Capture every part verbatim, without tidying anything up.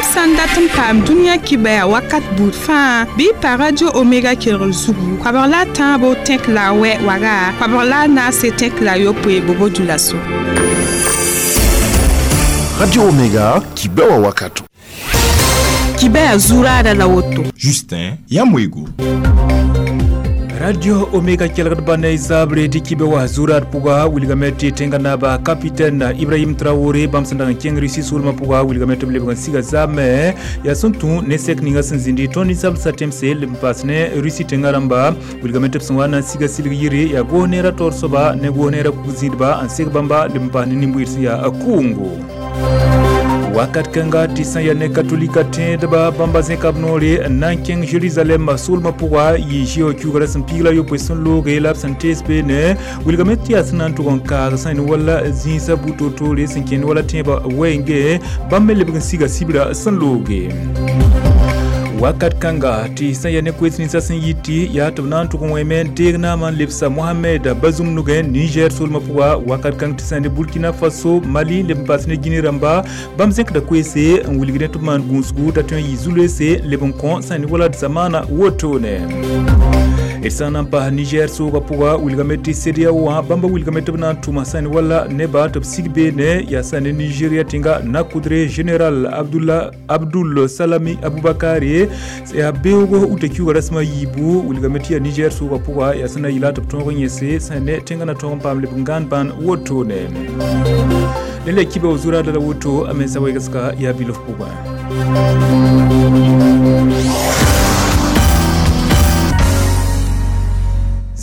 Yãmb sã n dat n paam dũniyã kibaya wakat buud fãa bɩ y pa Radio Omega kelgr zugu koabg la a tãabo tẽk la a wɛ waga koabg la a naase tẽk la a yopoe bobo dulaso. Radio Omega kibewa wakato. Kibaya zuraada la woto. Justin Yamwego. Radio Omega kelgd ba ne zabre tɩ kibe wa zurad pʋga wilgame tɩ tẽnga naaba capitaine Ibrahim Traoré bãmb sẽn dag n kẽng Russie soolmã pʋga wilgame tɩ b lebg n siga zaabmẽ yaa sẽn tũ ne sɛk ninga sẽn zĩndi tõnd ninsab sa tẽmse leb n paas ne Russie tẽngã rãmba wilgame tɩ b sẽn wa na n siga silg yire yaa goos neerã taoor soaba ne goos neerã kug-zĩidba n seg bãmba leb n paas ne nin-bʋɩd sẽn yaa kʋʋngo. Wakat kãnga tɩ sã yaa ne katolika tẽedba bãmba zẽka b noore n na n kẽng Jerusalem soolmã pʋga yɩ zɩ kiugrã sẽn piig la yopoe sẽn looge la b sẽn tees beene wilgame tɩ yaa sẽn na n tʋg n kaag sã ne wala zĩisã bu-toor-toore sẽn kẽnd wala tẽebã wɛɛnge bãmb me lebg n siga sibra sẽn looge. Wakat kãnga tɩ sã yaa ne koees ninsã sẽn yit tɩ yaa tɩ b na n tʋg n wẽme n deeg naamã n lebsa Mohamed Bazoum nugẽ Niger soolmã pʋga wakat kãng tɩ sã ne Burkina Faso Mali leb n paas ne Guinée rãmba bãmb zẽkda koeese n wilg ne tɩ b maan gũusgu t'a tõe n yɩ zu-loeese leb n kõ sã ne wala d zamaana wotone. D sã n na n paas Niger soogã pʋga wilgame tɩ CEDEAO wã bãmba wilgame tɩ b na n tʋma sã ne wala neba tɩ b sig beene yaa sã ne Nigeria tẽnga nakʋdre général Abdullah Abdul Salami Abubakar yaa beoogo uta kiuga rasmã yiibu wilgame tɩ yaa Niger soogã pʋga yaa sẽn na yɩla tɩ b tõog n yẽse sã ne tẽngã na tõog n paam leb n gãan bãn wotone. Dẽn la kiba zuraada la woto a mensa wɛgsga yaa bilf pʋgẽ.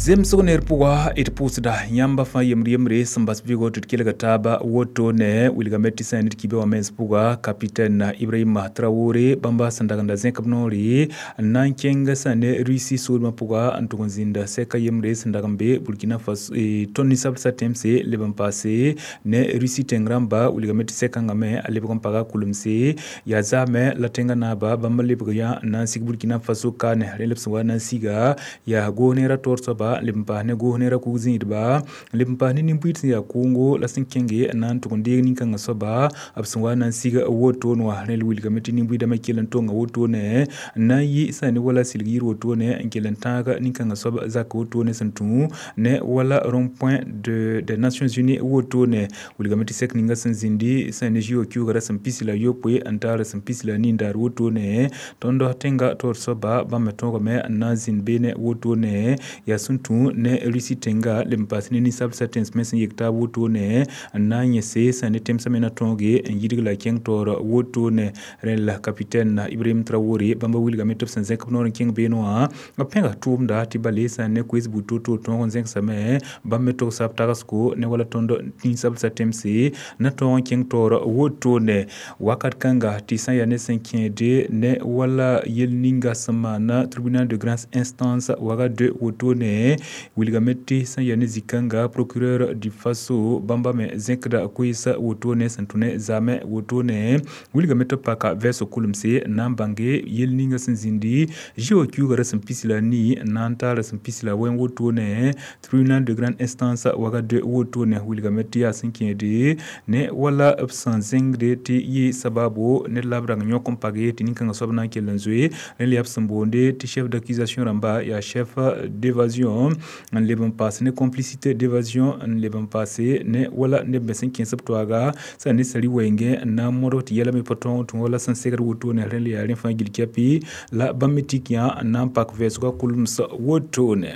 Zemsg ner pʋga d pʋʋsda yãmba fãa yembr yembre sẽn bas vɩgo tɩ d kelga taaba woto ne wilgame tɩ sã n ned kibe wã mens pʋga capitaine Ibrahim Traoré bãmba sẽn dag n da zẽk b noore n na n kẽng sã ne Russie soolmã pʋga n tʋg n zĩnda sɛka yembre sẽn dag n be Burkina Faso tõnd ninsab sa tẽmse leb n paase ne Russie tẽng rãmba wilgame tɩ sɛkãngã me a lebg n paga kulemse yaa zaamẽ la tẽngã naaba bãmba lebg yã n na n sig Burkina Faso kaane rẽ la b sẽn wa na n siga yaa goos neerã taoor soaba leb n paas ne goos neerã kug-zĩidba leb n paas ne nin-bʋɩd sẽn yaa kʋʋngo la sẽn kẽnge n na n tʋg n deeg nin-kãngã soaba b sẽn wa na n sig wotone wã rẽ la wilgame tɩ nin-bʋɩdã me kell n tonga wotone n na n yɩ sã ne wala silg yir wotone n kell n tãag nin-kãngã soab zak wotone sẽn tũ ne wala rond-point de des Nations Unies wotone wilgame tɩ sɛk ninga sẽn zĩndi sã ne zɩ kiugrã sẽn pis la yopoe n taar sẽn pis la nindaar wotone tõnd tẽnga taoor soaba bãmb me tõogame n na n zĩnd beene wotone yaa sẽn tũ ne Russie tẽnga leb n paas ne ninsab sa tẽns me sẽn yek taab wotone n na n yẽse sã ne tẽmsã me na tõoge n yidg la kẽng taoor wotone rẽ la capitaine Ibrahim Traoré bãmba wilgame tɩ b sẽn zẽk b noor n kẽng beene wã b pẽga tʋʋmda tɩ bale sã ne koees buud to-to tõog n zẽgsame bãmb me togsa b tagsgo ne wala tõnd ninsab sa tẽmse na tõog n kẽng taoor wotone wakat kãnga tɩ sã yaa ne sẽn kẽede ne wala yel ninga sẽn maana tribunal de grande instance waga de wotone wilgame tɩ sã yaa ne zĩ-kãnga procureur du Faso bãmba me zẽkda koeesa wotone sẽn tũ ne zaamẽ wotone wilgame tɩ b paka vɛɛsg kulemse n na n bãnge yel ninga sẽn zĩndi zɩ kiugrã sẽn pis la nii n na n taara sẽn pis la wẽn wotone tribunal de grande instance waga de wotone wilgame tɩ yaa sẽn kẽede ne wala b sẽn zẽngde tɩ yɩ sababo ned la b rang yõk n page tɩ nin-kãngã soab na n kell n zoe rẽ la yaa b sẽn boonde tɩ chef d'accusation rãmba yaa chef d'évasion n leb n paas ne complicité d'évasion n leb n paase ne wala neb me sẽn kẽes b toaaga sã ne sari wɛɛngẽ n na n modg tɩ yɛla me pa tõog n tũ wala sẽn segd wotone rẽ la yaa rẽ fãa gill kɛpɩ la bãmb me tik yã n na n pak vɛɛsgã kulems wotone.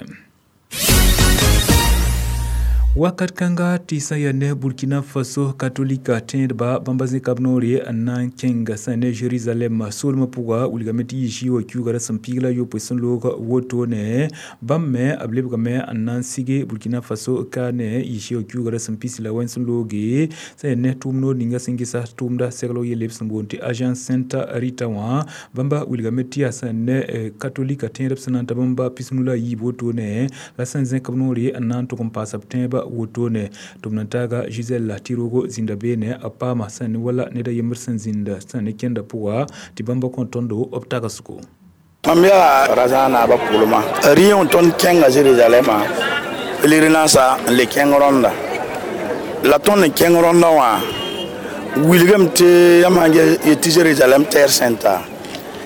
Wakat kãnga tɩ sã yaa ne Burkina Faso katolika tẽedba bãmba zẽka b noore n na n kẽng sã ne Jerusalem soolmã pʋga wilgame tɩ yɩ zɩ wã kiugrã sẽn piig la yopoe sẽn loog wotone bãmb me b lebgame n na n sige Burkina Faso kaane yɩ zɩ wã kiugrã sẽn pis la wẽn sẽn looge sã yaa ne tʋʋm noor ninga sẽn gesa tʋʋmda seglg yelle b sẽn boond tɩ agence Sainte Rita wã bãmba wilgame tɩ yaa sã ne katolika tẽedb sẽn na n ta bãmba pisnu la a yiib wotone la sẽn zẽk b noore n na n tʋg n paasa b tẽebã wotone tɩ b na taaga Gisèle tɩ roogo zĩnda beene b paama sã ne wala ned a yembr sẽn zĩnda sã ne kẽnda pʋga tɩ bãmba kõ tõndo b tagsgo. Mam yaa razã naabã pʋlmã rɩ tõnd kẽnga Zerizalɛmã pèlerinansa n le kẽng rõnda la tõnd n kẽng rõndã wã Wilgame tɩ yãmb sãn yet tɩ Jérusalem terre sainte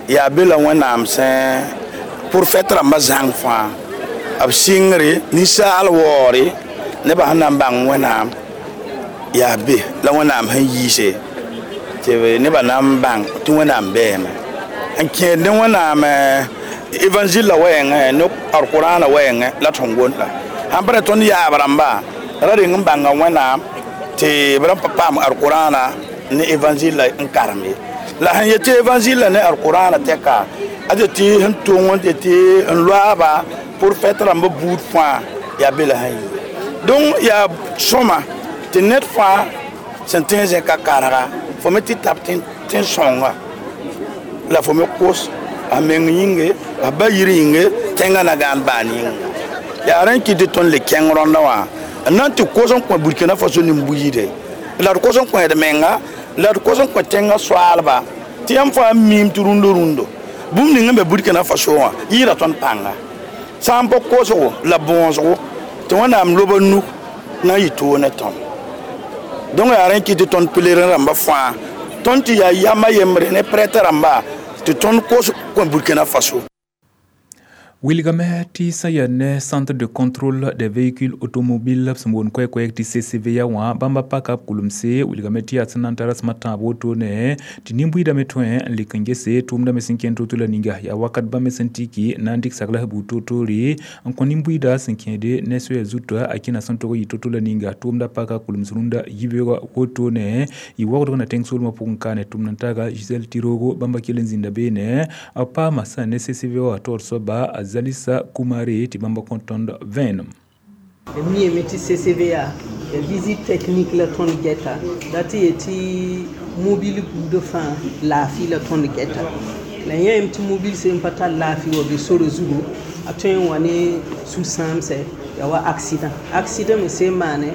yaa be la Wẽnnaam sẽn profɛt rãmbã zãng fãa b sɩngre ninsaal waoore nebã sẽn na n bãng Wẽnnaam yaa be la Wẽnnaam sẽn yiise tɩ nebã na n bãng tɩ Wẽnnaam bɛɛme n kẽed ne Wẽnnaam évangile la wɛɛngẽ ne alkurãana wɛɛngẽ la tõnd gomda sãn pa ra tõnd yaab rãmba ra reng n bãnga Wẽnnaam tɩ b ra pa paam alkurãana ne évangile la n karem ye la sẽn yet tɩ évangile la ne alkurãana tɛka a tɩ tɩ sẽn tong n tɩ tɩ n loaaba profɛt rãmba buud fãa yaa be la sẽn yi donc yaa sõma tɩ ned fãa sẽn tõe n zẽka karga fo me tɩ tab tẽn-sõnga la fo me kos a meng yĩnge a ba yir yĩnge tẽngã na gãan baan yĩnga yaa rẽ kɩt tɩ tõnd le kẽng rõndã wã n na n tɩ kos n kõ Burkina Faso nin-buiide la d kos n kõ d menga la d kos n kõ tẽngã soaalba tɩ yãmb fãa miim tɩ rũndo rũndo bũmb ning n be Burkina Faso wã yɩɩda tõnd pãnga sã n pa kosgo la bõosgo tɩ Wẽnnaam lob a nu na n yɩ toog ne tõnd donc yaa rẽ kɩt tɩ tõnd pelerin rãmba fãa tõnd tɩ yaa yama yembre ne prêtre rãmba tɩ tõnd kos kõ Burkina Faso. Wilgame tɩ sã yaa ne Centre de contrôle des véhicules automobiles b sẽn boond koɛɛ-koɛɛg tɩ C C V A wã bãmba paka b kulemse wilgame tɩ yaa sẽn na n tara rasem a tãab wotone tɩ nin-buiidame tõe n lɩk n gese tʋʋmdã me sẽn kẽnd to-to la ninga yaa wakat bãmb me sẽn tiki na n dɩk saglas buud toor-toore n kõ nin-buiida sẽn kẽede ne soaya zuta a kẽna sẽn tog n yɩ to-to la ninga tʋʋmda paka kulems rũndã yibeoogã wotone yɩ waoodg na tẽng soolmã pʋgẽ ka ne tʋmd n taaga Gisèle Tiroogo bãmba kell n zĩnda beene b paama sã ne C C V wã taoor soaba a Zalisa Kumare tɩ bãmba kõ tõnd vẽenem. Mi tɩ C C V A ya visite technique la tõnd gɛta la tɩ yetɩ mobile buudã fãa laafɩ la tõnd gɛta la yãem tɩ mobile sẽn pa tar laafɩ wa be sore zugu a tõe n wa ne sũ-sãamsɛ ya wa accident accident me sẽn maane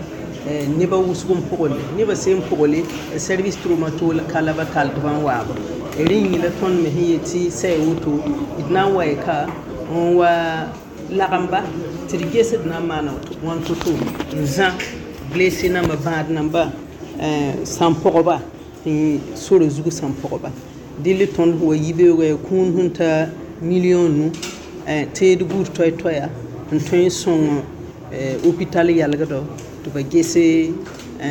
nebã wʋsg n pʋgl nebã sẽn pʋgle service traumato ka la ba tall tɩ b n waaba rẽ yĩng la tõnd me sẽn yetɩ sɛ woto d na n wa y ka n wa lagem-ba tɩ d ges d na n maana wãn to-to n zã blessé namba bãad namba sãn pɔgba sore zugu sãn pɔgba dɩl tõnd wa yibeoogã yaa kũun sẽn ta million nu teed buud toɛ-toɛya n tõe n sõng hôpital yalgdɔ tɩ ba gese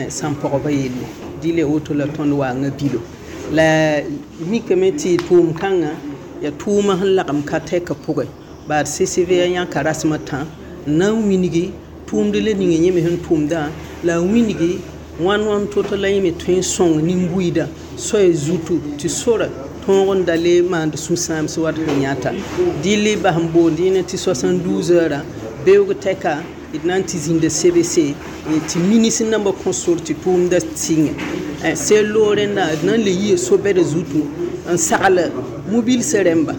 sãn pɔgba yelle dɩl ya woto la tõnd waanga bilo la mikame tɩ tʋʋm kãngã yaa tʋʋma sẽn lagem ka tɛka pʋgẽ baad C C V yãka rasem a tã n na n wilgi tʋʋmd la ninga yẽ me sẽn tʋmdã la a wilgi wãn wãn to-to la yẽ me tõe n sõng nin-buiidã soaya zutu tɩ sora tõog n da le maand sũ-sãams wat sẽn yãta dɩl bas n boond yẽne tɩ soixante-douze heures beoog tɛka d na n tɩ zĩnda C B C tɩ ministre nambã kõ sor tɩ tʋʋmda sɩngẽ sel loog rẽndã d na n le yia so-bɛda zutu n sagl mobilsã rẽmba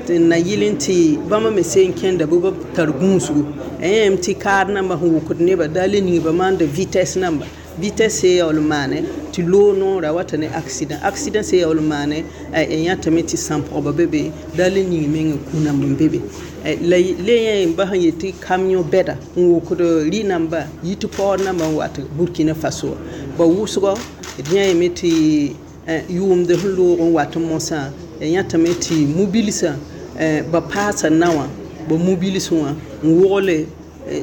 tɩ n na yɩl n tɩ bãmba me sẽn kẽnda bɩ b tar gũusgu yẽem tɩ kaar nambã sẽn wʋkd nebã daa le ning ba maanda vitesse namba vitesse se yaool n maane tɩ loog noora wata ne accident accident se yaool n maane yãtame tɩ sãn-pɔgba be be daa le ning mengã kũ-namb n be be la le yẽ ba sẽn yetɩ camion bɛda n wʋkd rɩ namba yit paood namba n wat Burkina Faso ba wʋsgɔ d yã yeme tɩ yʋʋmd sẽn loog n wat mosã ya yãtame tɩ mobilsã ba paasa na wã ba mobilsẽ wã n wogle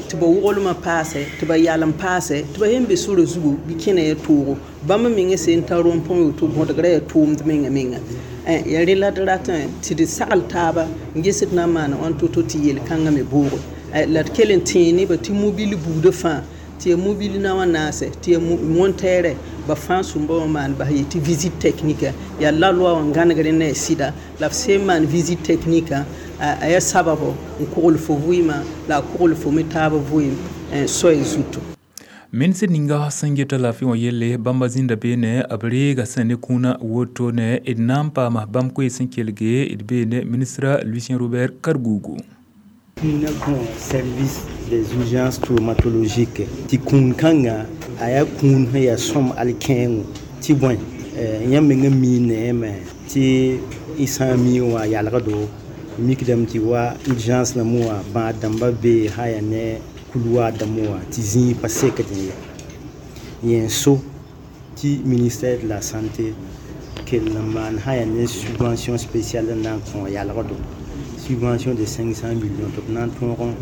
tɩ ba woglmã paasɛ tɩ ba yalem paasɛ tɩ ba yẽn be sora zugu bɩ kẽna ya toogo bãmb mengã sẽn tar rõmpõ woto bõdgrã yaa tʋʋmd menga menga ya rẽ la d ratẽ tɩ d sagl taaba n ges d na n maana wãn to-to tɩ yel-kãngã me boogo la d kell n tẽe nebã tɩ mobile buudã fãa tɩ ya mobile na wã naasɛ tɩ ya montɛɛrɛ ba fãa sũmba wã maan bas yetɩ visite technique yaa la loi wã gãnegr ne a sɩda la b sẽn maan visite technique a yaa sababo n kogl fo vɩɩmã la a kogl fo me taab vɩɩm soaya zutu. Ministr ninga sẽn geta laafɩ wã yelle bãmba zĩnda beene b reega sẽn ne kũunã wotone d na n paama bãmb koees sẽn kelge d beene ministra Lucien Robert Kargougou. Na kõ service des urgences traumatologiques tɩ kũun kãnga a yaa kũun sẽn yaa sõm alkẽengo tɩ bõe yãmb mengã mii neeme tɩ y sã n mii wã yalgdo mikdame tɩ wa urgence nambẽ wã bãad dãmbã bee sã yaa ne couloir dãmbẽ wã tɩ zĩig pa sekd ye yẽ so Tɩ ministère de la santé kell n maan sã yaa ne subvention spéciale n na n kõ yalgdo subvention de cinq cents millions tɩ b na n tõog n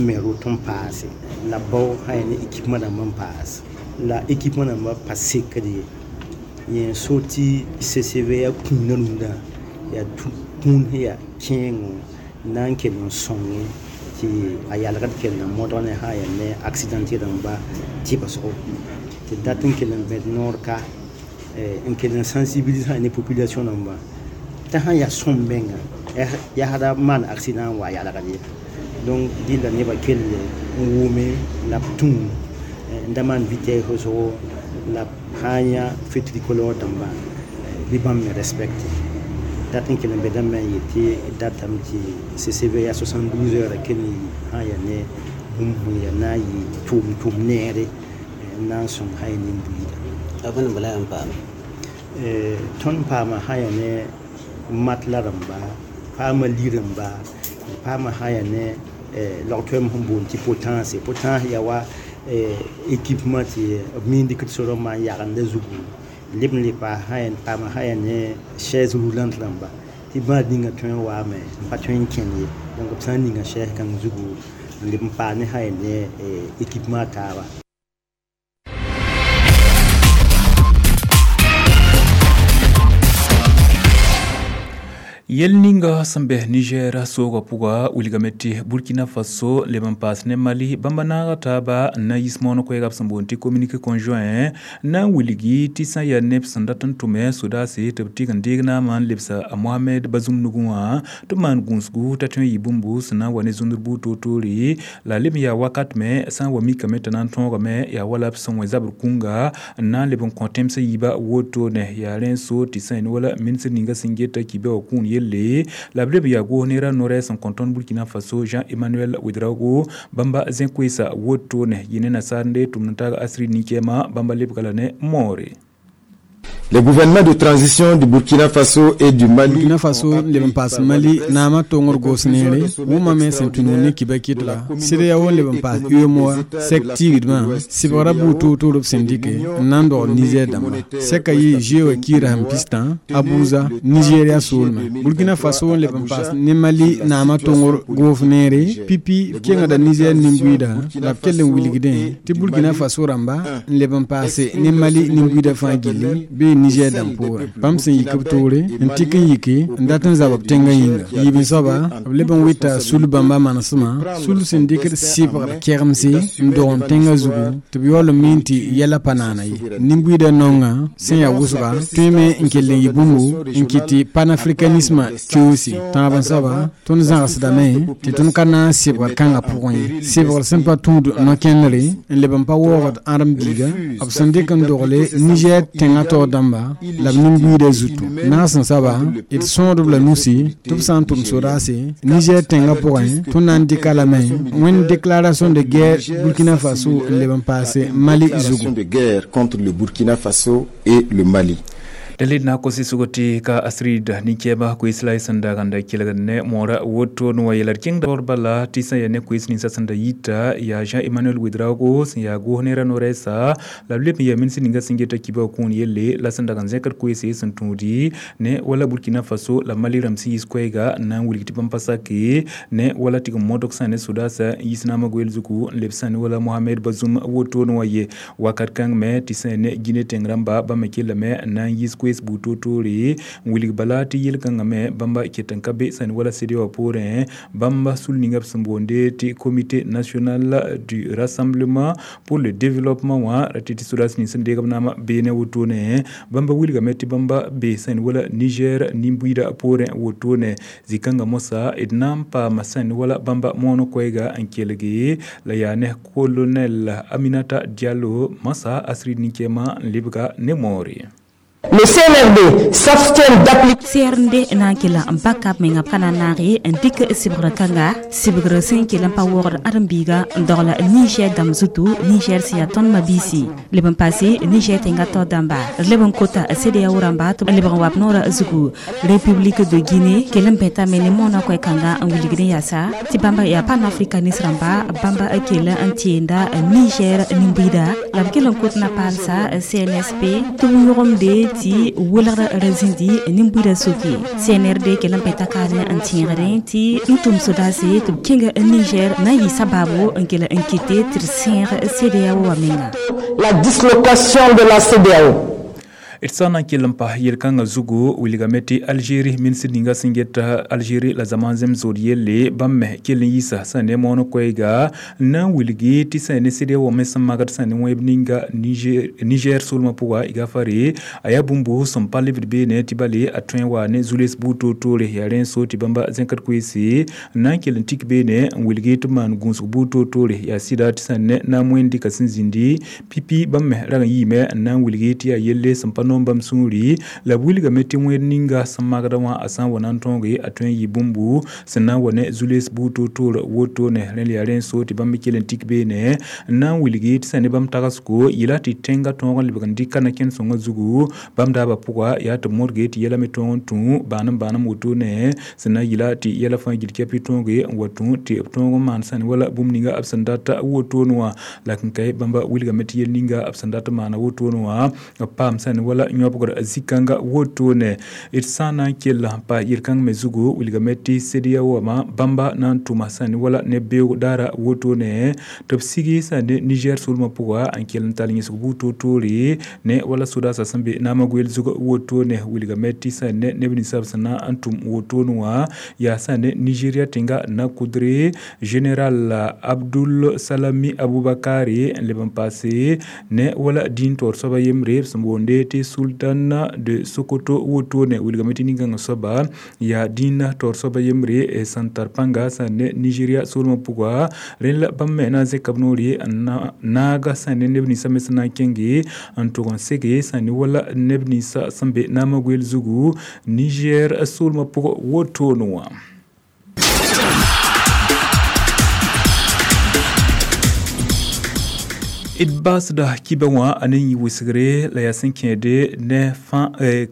me rot n paase la bao sã yaa ne équipement dãmb n paas la équipement dãmbã pa sekd ye. Yẽ so tɩ C C V yaa kũunã rũndã yaa kũun sẽn yaa kẽengo na n kell n sõnge tɩ a yalgd kell n modg ne sã yaa ne accidenté rãmba tɩbsgo tɩ dat n kell n bẽd noor ka n kell n sensibilise ne population rãmba t'a sã yaa sõm menga yaa da maan accident n wa yalgd ye. Donc dɩlla nebã kell n wʋme la b tũu n da maan vitesse wʋsgo la b sã n yã feu tricolore dãmba bɩ bãmb me respecte. Dat n kell n bedame n yetɩ datame tɩ C C V yaa soixante-douze heures kell n yi sã n yaa ne bũmb sẽn yaa na n yɩ tʋʋm tʋʋm neere n na n sõng sã n yaa nin-buiida. A bõe bala n paam? Tõnd paama sã n yaa ne matelas rãmba, paama li-rãmba, paama sã n yaa ne log-toɛɛm sẽn boond tɩ potence. Potence yaa wa équipement tɩ b miin dɩkd sorã n maan yagenda zugu leb n le paas sã paama sã n yaa ne chaise roulante rãmba tɩ bãad ninga tõe n waame n pa tõe n kẽnd ye. Donc b sã n ninga chaise kãng zugu n leb n paas ne sã n yaa ne équipement taaba. Yɛl ninga sẽn bɛ Niger soogã pʋga wilgame tɩ Burkina Faso leb n paas ne Mali bãmba naaga taaba n na n yis moon koɛɛga b sẽn boond tɩ communiqué conjoint n na n wilgi tɩ sã n yaa neb sẽn dat n tʋme sodaase tɩ b tɩg n deeg naamã n lebsa a Mohamed Bazoum nugẽ wã tɩ b maan gũusgu t'a tõe n yɩ bũmbu sẽn na n wa ne zũndr buud toor-toore la leb n yaa wakat me sã n wa mikame t'a na n tõogame yaa wala b sẽn wẽ zabr kũnga n na n leb n kõ tẽmsã yiibã wotone yaa rẽ n so tɩ sã n wala ministr ninga sẽn geta kibe wã kũun yelle la b leb n yaa goos neerã no-rɛɛs n kõ tõnd Burkina Faso Jean Emmanuel Ouedraogo bãmba zẽ-koeesa wotone yɩ ne nasaar n dee tʋmd n taag Asrid nin-kɛɛma bãmba lebga la ne moore. Les gouvernements de transition du Burkina Faso et du Mali. Burkina Faso leb n paas Mali naamã tongr goos neere wʋmame sẽn tũ ne kiba kɩtga CEDEAO n leb n paas UEMOA sɛk tiigdmã sɩbgrã buud toor-toor b sẽn dɩke n na n dogl Niger dãmba sɛka yɩ G kiirã sẽn pistã Abuja Nigeria soolmẽ. Burkina Faso n leb n paas ne Mali naamã tongr goof neere pipi b kengda Niger nin-buiida la b kell n wilgdẽ tɩ Burkina Faso rãmba n leb n paase ne Mali nin-buiidã fãa gilli bee Niger dãmb poorẽ bãmb sẽn yik b toore n tɩk n yike n dat n zab b tẽngã yĩnga yiib n soaba b leb n wɩta sul bãmba manesmã sul sẽn dɩkd sɩbgr kɛgemse n dog n tẽngã zugu tɩ b yaool n miin tɩ yɛla pa naana ye. Nin-buiidã naongã sẽn yaa wʋsga tõeme n kell n yɩ bũmbu n kɩt tɩ panafricanisme keoose. Tãab n soaba tõnd zãgsdame tɩ tõnd ka na n sɩbgr kãngã pʋgẽ ye sɩbgr sẽn pa tũud no-kẽnere n leb n pa waoogd ãdem-biiga b sẽn dɩk n dogle Niger tẽngã taoor dãmba la b nin-buiidã zutu. Naas n soaba d sõodb la nusi tɩ b sã n tʋm sodaase Niger tẽngã pʋgẽ tõnd na n dɩka lame wẽnd déclaration de guerre Burkina Faso n leb n paase Mali zugu. De guerre contre le Burkina Faso et le Mali. Dalil na ko sɩsgo tɩ ka Asrid nin-kɛɛma koees la y sẽn dag n da kelgd ne moora woto n wa yɛla d kẽngda taoor bala tɩ sã n yaa ne koees ninsã sẽn da yita yaa Jean Emmanuel Ouedraogo sẽn yaa goos neerã no-rɛɛsa la b leb n yaa ministr ninga sẽn geta kiba wã kũun yelle la sẽn dag n zẽkd koeese sẽn tũudi ne wala Burkina Faso la Mali rãmb sẽn yis koɛɛga n na n wilg tɩ bãmb pa sake ne wala tɩg n modg sã ne sodaasã n yis naamã goeel zugu n leb sã ne wala Mohamed Bazoum woto n wa ye wakat kãng me tɩ sã n ne Guinée tẽng rãmba bãmb me kellame n na n yis koees buud toor-toore n wilg bala tɩ yel-kãngã me bãmba ket n ka be sã ne wala CEDEAO poorẽ bãmba sul ninga b sẽn boonde tɩ Comité national du rassemblement pour le développement wã ra tɩ tɩ sodaas nins sẽn deeg b naamã beene wotone bãmba wilgame tɩ bãmba be sã ne wala Niger nin-buiidã poorẽ wotone zĩ-kãngã moasã d na n paama sã ne wala bãmba moon koɛɛga n kelge la yaa ne colonel Aminata Diallo masa Asrid nin-kɛɛmã n lebga ne moore. Le C N R D s'abstient d'appliquer C N R D na n kell n pa kab menga b ka na n naag n dɩk sɩbgrã kãnga sɩbgr sẽn kell n pa waoogd ãdem-biiga n dogl Niger dãmb zutu Niger sẽn yaa tõnd mabiisi leb n paase Niger tẽngã tao dãmba d leb n kota CEDEAO rãmba tɩ b lebg n wa b noorã zugu République de Guinée kell n bẽtame ne moonã koɛ-kãnga n wilgd n yaasa tɩ bãmba yaa panafricaniste rãmba bãmba kell n tẽenda Niger nin-buiida la b kell n kot na paalsa C N S P tɩ b yõgemde tɩ welgr ra zĩndi nin-buiidã soke C N R D kell n bẽta kaane n tẽegdẽ tɩ n tʋm sodaase tɩ b kẽnga Niger na n yɩ sabaabo n kell n kɩte tɩ d sẽeg CEDEAO wã menga. La dislocation de la CEDEAO. D sã n na n kell n pas yel-kãngã zugu wilgame tɩ Algérie ministr ninga sẽn get Algérie la zãma n zems zood yelle bãmb me kell n yiisa sã ne moon koɛɛga n na n wilgi tɩ sã ne CEDEAO me sẽn magd sã ne wẽeb ninga Niger Niger soolmã pʋga gafare a yaa bũmb sẽn pa lebd beene tɩ bale a tõe n wa ne zu-les buud toor-toore yaa rẽ n so tɩ bãmba zẽkd koeese n na n kell n tik beene n wilgi tɩ b maan gũusg buud toor-toore yaa sɩda tɩ sã ne na n wẽnd dɩka sẽn zĩndi pipi bãmb me rag n yiime n na n wilgi tɩ yaa yelle sẽn pa noom bãmb sũuri la b wilgame tɩ wẽed ninga sẽn magda wã a sã n wa na n tõoge a tõe n yɩ bũmbu sẽn na n wa ne zu-les buud toor-toor wotone rẽ la yaa rẽ n so tɩ bãmb kell n tik beene n na n wilgi tɩ sã ne bãmb tagsgo yɩla tɩ tẽngã tõog n lebg n dɩka na kẽnd-sõngã zugu bãmb daabã pʋga yaa tɩ b modge tɩ yɛla me tõog n tũ bãanem bãanem wotone sẽn na yɩla tɩ yɛla fãa gil kɛpɩ tõoge n wa tũ tɩ b tõog n maan sã ne wala bũmb ninga b sẽn dat wotone wã la n kae bãmba wilgame tɩ yel ninga b sẽn dat n maana wotone wã b paam sã ne wala yõbgr zĩ-kãnga wotone d sã n na n kell n pa yel-kãng me zugu wilgame tɩ CEDEAO wã bãmba na n tʋma sã ne wala ne beoog daara wotone tɩ b sigi sã ne Niger soolmã pʋga n kell n tall yẽsg buud toor-toore ne wala sodaasã sẽn be naamã goeel zug wotone wilgame tɩ sã ne neb ninsab sẽn na n tʋm wotone wã yaa sã ne Nigeria tẽnga na-kʋdre général Abdul Salami Aboubakari n leb n paase ne wala dĩin taoor soaba yembre b sẽn boonde tɩ Sultan de Sokoto wotone wilgame tɩ nin-kãngã soaba yaa dĩinã taoor soaba yembre sẽn tar pãnga sã ne Nigeria soolmã pʋga rẽ la bãmb me na n zẽka b noore n naaga sã ne neb ninsã me sẽn na n kẽnge n tʋg n sege sã ne wala neb ninsã sẽn be naamã goeel zugu Niger soolmã pʋgã wotone wã. D baasda kibã wã a ne yĩ wɩsgre la yaa sẽn kẽede ne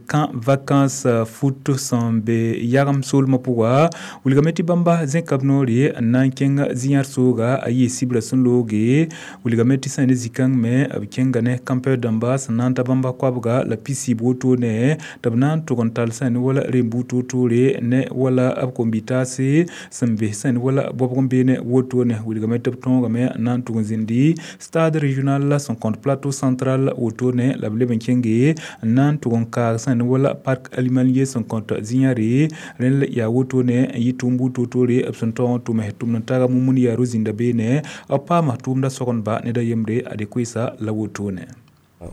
kã vacance foot sẽn be yagem soolmã pʋga wilgame tɩ bãmba zẽka b noore n na n kẽng zĩ-yãr sooga a yɩ sɩbrã sẽn looge wilgame tɩ sã ne zĩ-kãng me b kẽnga ne campeur dãmba sẽn na n ta bãmba koabga la pisiib wotone tɩ b na n tʋg n tall sã ne wala rem-buud toor-toore ne wala b kombitaase sẽn be sã ne wala bɔbg n beene wotone wilgame tɩ b tõogame n na n tʋg n zĩndi stade régional sẽn kõt plateau central wotone la b leb n kẽnge n na n tʋg n kaag sã ne wala parc animalier sẽn kõt zĩ-yãre rẽ la yaa wotone n yɩ tʋʋm buud toor-toore b sẽn taoog n tʋme tʋmd n taga mumund yaa ro-zĩnda beene b paama tʋʋmda sogendba ned a yembre ade koeesa la wotone.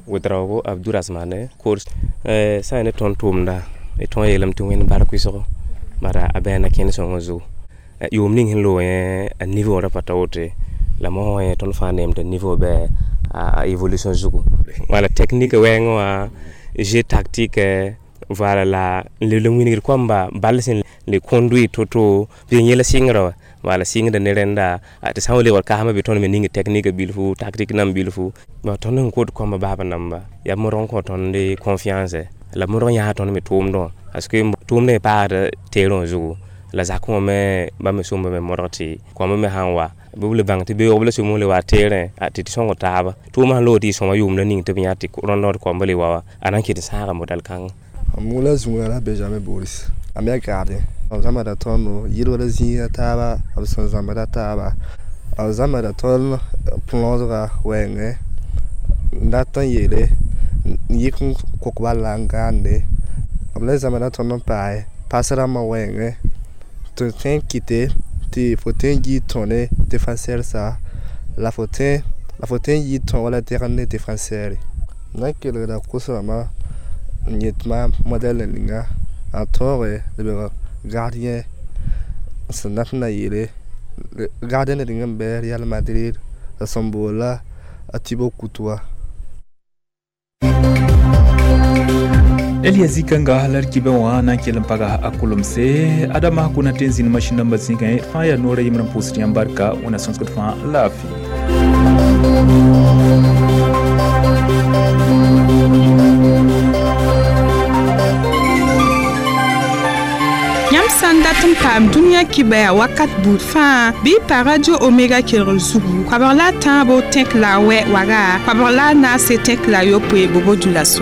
Ouedraogo Abdourahmane course sã ne tõnd tʋʋmda d tõog yeelame tɩ wẽnd bark wɩsgo bara a bãa na kẽnd sõngã zugu yʋʋm ning sẽn loog yẽ a niveau ra pa ta woto la mosã yẽ tõnd fãa neem tɩ niveau bɩ a évolution zugu wala technique wɛɛngẽ wã jeu tactique voilà la n le wilgd koamba bal sẽn le conduire to-to tɩ yẽla sɩngrã wã wala sɩngda ne rẽnda tɩ sã n wa lebg kasmã be tõnd me ning technique bilfu tactique nam bilfu tõnd sẽn kot koambã baaba namba yaa modg n kõ tõnd confiance la modg n yãas tõnd me tʋʋmdẽ wã parce que tʋʋmdã paasda terrain zugu la zakẽ wã me bãmb me sõmba me modg tɩ koambã me sã n wa bɩ b le bãng tɩ beoog la sũmb le wa terrain tɩ tɩ sõng taaba tʋʋmã sẽn loog tɩ y sõma yʋʋmda ning tɩ b yã tɩ rõnd koambã le wa wã a na n kɩt n sãaga modal kãnga. Moula Zungara Benjamin Boris a me gardien b zãmbda tõnd yɩlgr zĩiga taaba b sẽn zãmbda taaba b zãmbda tõnd plõosga wɛɛngẽ n dat n yeele n yɩk n kok bala n gãande b le zãmbda tõnd n paase pas rãmbã wɛɛngẽ tɩ tõe n kɩte tɩ fo tõe n yɩ tõne défenseur sa la fo tõe la fo tõe n yɩ tõ wala degend ne défenseur na n kelgda kos-rãmbã n yet maam modɛl ninga a tõoge lebg gardien sẽn dat n na yeele gardien ned n bɩ Real Madrid la sẽn boola a Thibaut Courtois. Elia zikanga la d kibẽ wã na n kell n paga a kolomse adama kuna tɩ n zĩnd masĩn dãmbã zĩigẽ fãa yaa noorã yembr n pʋʋsd yãmb barka wẽna sõsgd fãa laafɩ. Yãmb sã n dat n paam dũniyã kibɛa wakat buud fãa bɩ y pa radio Omega kelgr zugu koabg la a tãabo tẽk la a wɛ waga koabg la a naase tẽk la a yopoe bobo dulaso.